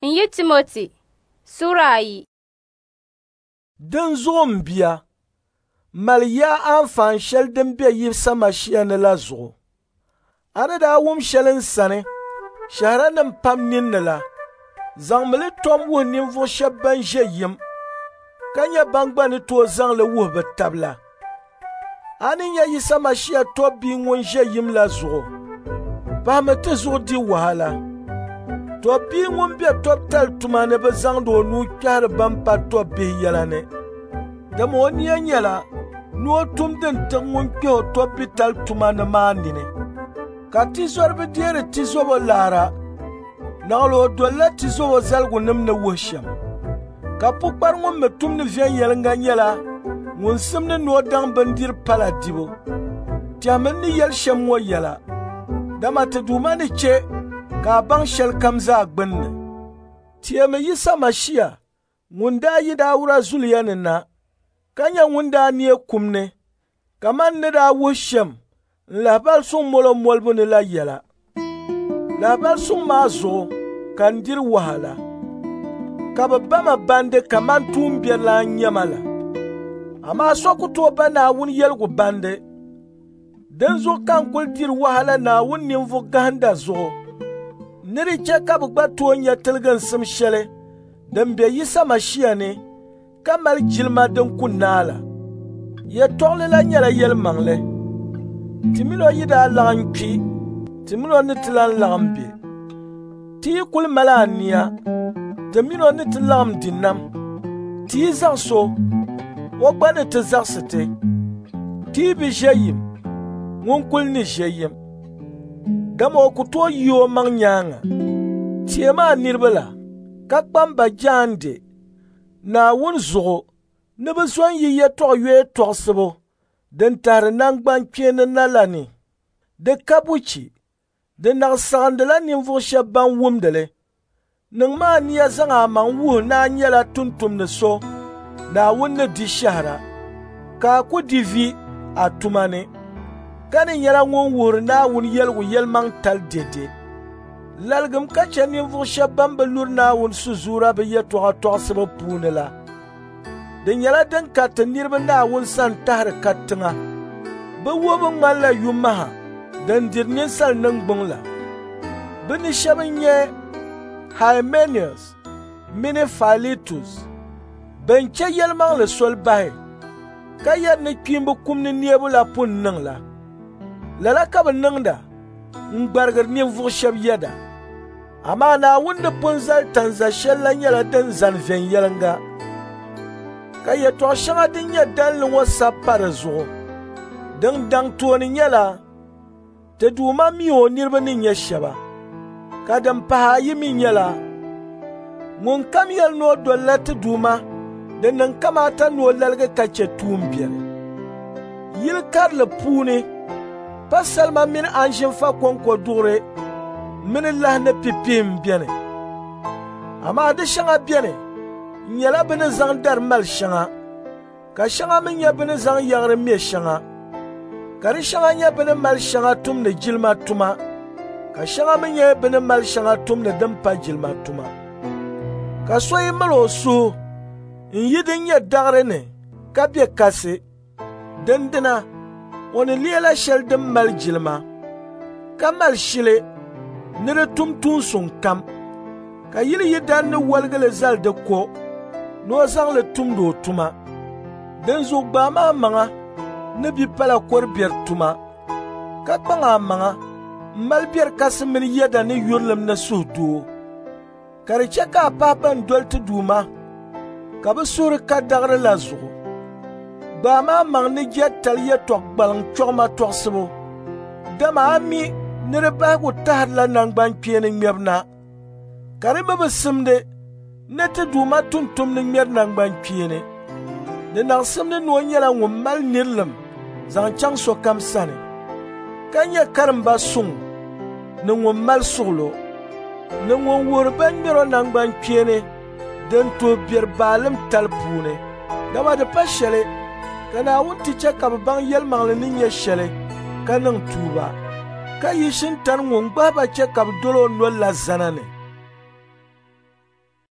N yi Timoti sura 2. Dinzuɣu m bia, mali yaa anfaan shɛli din be Yisa Mashia ni la zuɣu. A ni daa wum shɛli n sani shɛhiranim pam ninni la, zaŋmi li tom wuhi ninvuɣ shɛb ban ʒe yim, ka nyɛ ban gba ni tooi zaŋ li wuhi bɛ tab la. A ni nyɛ Yisa Mashia tɔbbi ŋun ʒe yim la zuɣu, pahimi ti zuɣu di wahala. Tɔbbi ŋun be tɔbtali tuma ni bi zaŋdi o nuu kpɛhiri ban pa tɔbbihi yɛla ni, dama o nia nyɛla ni o tum din tiɣi ŋun kpɛh o tɔbbitali tuma ni maa nini. Ka tizɔriba deeri tizobo laara, naɣila o dolila tizobo zaligunim ni wuhi shɛm. Ka pukpari ŋun mi tumdi viɛnyɛliŋga nyɛla ŋun simdi ni o daŋ bindiri pala dibu. Tɛhimi n ni yɛli shɛm ŋɔ yɛla, dama ti Duuma ni chɛ ka a baŋ shɛlikam zaa gbinni. Teemi Yisa Mashia ŋun daa yi Dauda zuliya ni na, ka nyɛ ŋun daa neei kum ni kaman n ni daa wuhi shɛm n lahibali suŋ molo molibu ni la yɛla. Lahibali suŋ maa zuɣu ka n diri wahala, ka bɛ ba ma bandi kaman tuumbiɛrilan n-nyɛ ma la. Amaa so ku tooi ba Naawuni yɛligu bandi. Dinzuɣu ka n kul diri wahala Naawuni ninvuɣ gahinda zuɣu ni di chɛ ka bɛ gba tooi nya tiliginsim shɛli din be Yisa Mashia ni ka mali jilima din ku naai la. Yɛtɔɣili la nyɛla yɛlimaŋli. Ti min o yi daa laɣim kpi, ti min o ni ti lan laɣim be. Ti yi kul mali ania, ti min o ni ti laɣim di nam. Ti yi zaɣis o, o gba ni ti zaɣisi ti. Ti yi bi ʒe yim, ŋun kul ni ʒe yim, dama o ku tooi yi o maŋ nyaaŋa. Teemi a niriba la, ka kpam ba jaande Naawuni zuɣu ni bɛ zo n-yi yɛtɔɣ yoya tɔɣisibu din tahiri naŋgbankpeeni na la ni. Di ka buchi, di naɣ saɣindila ninvuɣ shɛb ban wumdi li. Niŋmi ania zaŋ amaŋ wuhi ni a nyɛla tumtumdi so Naawuni ni di shɛhira, ka a ku di vi a tuma ni, ka ni nyɛla ŋun wuhiri Naawuni yɛligu yɛlimaŋtali dɛde. Laligim ka chɛ ninvuɣ shɛb ban bi luri Naawuni sizuura bɛ yɛtɔɣa tɔɣisibu puuni la. Di nyɛla din kariti niriba Naawuni sani tahiri katiŋa. Bɛ wuhibu ŋmanila yumaha din diri ninsal niŋgbuŋ la. Bɛ ni shɛba n-nyɛ Haimenius mini Failetus bɛn chɛ yɛlimaŋli soli bahi, ka yɛri ni kpiimba kum ni neebu la pun niŋ la. Lala ka bɛ niŋda n-gbarigiri ninvuɣ shɛb yɛda. Amaa Naawuni ni pun zali tanza shɛl la nyɛla din zani viɛnyɛliŋga, ka yɛtɔɣ shɛŋa din nyɛ dalinli ŋɔ sabi pa di zuɣu. Din daŋ tooni nyɛla, ti Duuma mi o niriba ni nyɛ shɛba, ka din pahi ayi mi nyɛla, ŋunkam yɛli ni o dolila ti Duuma, di niŋ kamaata ni o laligi ka chɛ tuumbiɛri. Yili karili puuni, pa salima mini anzinfa kɔŋko duɣuri mini lahi ni pipihi m-beni. Amaa di shɛŋa beni n-nyɛla bɛ ni zaŋ dari mali shɛŋa, ka shɛŋa mi nyɛ bɛ ni zaŋ yaɣiri me shɛŋa, ka di shɛŋa nyɛ bɛ ni mali shɛŋa tumdi jilima tuma, ka shɛŋa mi nyɛ bɛ ni mali shɛŋa tumdi din pa jilima tuma. Ka so yi mali o suhu n-yi din nyɛ daɣiri ni ka be kasi, dindina o ni leela shɛli din mali jilima, ka mali shili ni di tum tuun suŋ kam, ka yili yidana ni woligi li zali di ko ni o zaŋ li tumdi o tuma. Dinzuɣu gbaami amaŋa ni bipala kɔr biɛri tuma, ka kpaŋ amaŋa m-mali biɛri kasi mini yɛda ni yurilim ni suhudoo, ka di chɛ ka a pahi bɛn doli ti Duuma ka bɛ suhuri ka daɣiri la zuɣu. Gbaami amaŋ ni jɛtali yɛtɔɣ gbaliŋ chɔɣima tɔɣisibu, dama a mi ni di bahigu tahirila naŋgbankpeeni ŋmɛbu na, ka di mi bi simdi ni ti Duuma tumtumdi ŋmɛri naŋgbankpeeni. Di naɣ simdi ni o nyɛla ŋun mali nirilim zaŋ chaŋ sokam sani, ka nyɛ karimba suŋ ni ŋun mali suɣilo, ni ŋun wuhiri bɛn ŋmɛr o naŋgbankpeeni din tuhi biɛri baalim tali puuni. Dama di pa shɛli ka Naawuni ti chɛ ka bɛ baŋ yɛlimaŋli ni nyɛ shɛli ka niŋ tuuba, ka yi shintani ŋun gbahi ba chɛ ka bɛ dol o nol la zana ni.